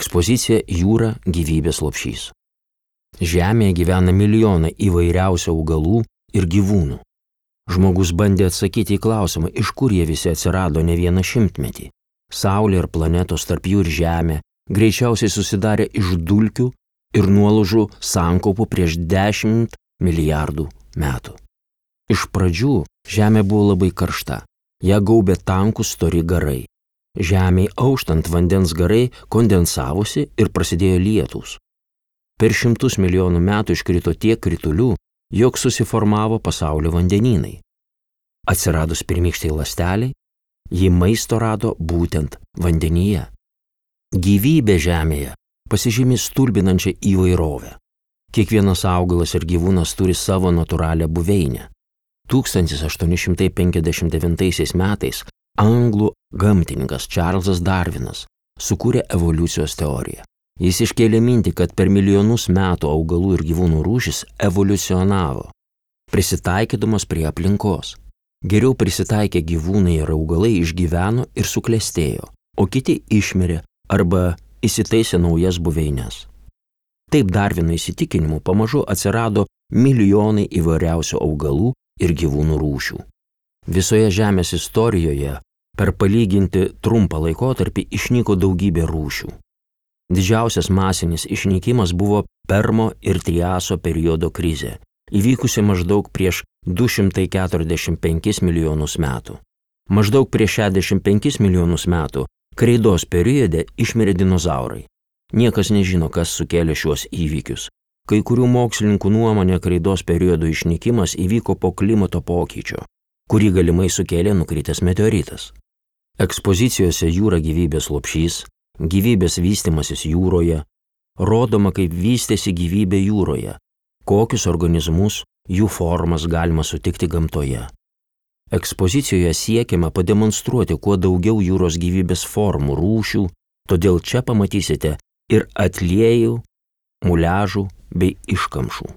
Ekspozicija Jūra gyvybės lopšys. Žemėje gyvena milijonai įvairiausių augalų ir gyvūnų. Žmogus bandė atsakyti į klausimą, iš kur jie visi atsirado ne vieną šimtmetį. Saulė ir planetos, tarp jų ir Žemė, greičiausiai susidarė iš dulkių ir nuolaužų sankaupų prieš 10 milijardų metų. Iš pradžių Žemė buvo labai karšta, ją gaubė tankūs stori garai. Žemėj auštant vandens garai kondensavosi ir prasidėjo lietūs. Per 100 milijonų metų iškrito tiek kritulių, jog susiformavo pasaulio vandenynai. Atsiradus pirmykštai ląsteliai, ji maisto rado būtent vandenyje. Gyvybė Žemėje pasižymi stulbinančią įvairovę. Kiekvienas augalas ir gyvūnas turi savo natūralią buveinę. 1859 metais anglų gamtininkas Čarlzas Darvinas sukūrė evoliucijos teoriją. Jis iškėlė mintį, kad per milijonus metų augalų ir gyvūnų rūšis evoliucionavo, prisitaikydamas prie aplinkos. Geriau prisitaikę gyvūnai ir augalai išgyveno ir suklestėjo, o kiti išmirė arba įsitaisė naujas buveines. Taip Darvino įsitikinimu pamažu atsirado milijonai įvairiausių augalų ir gyvūnų rūšių. Visoje Žemės istorijoje per palyginti trumpą laikotarpį išnyko daugybė rūšių. Didžiausias masinis išnykimas buvo Permo ir Triaso periodo krizė, įvykusi maždaug prieš 245 milijonus metų. Maždaug prieš 65 milijonus metų kreidos periode išmirė dinozaurai. Niekas nežino, kas sukėlė šiuos įvykius. Kai kurių mokslininkų nuomonė kreidos periodo išnykimas įvyko po klimato pokyčio, kurį galimai sukėlė nukritęs meteoritas. Ekspozicijose Jūra gyvybės lopšys, gyvybės vystymasis jūroje, rodoma, kaip vystėsi gyvybė jūroje, kokius organizmus, jų formas galima sutikti gamtoje. Ekspozicijoje siekiama pademonstruoti kuo daugiau jūros gyvybės formų, rūšių, todėl čia pamatysite ir atliejų, muliažų bei iškamšų.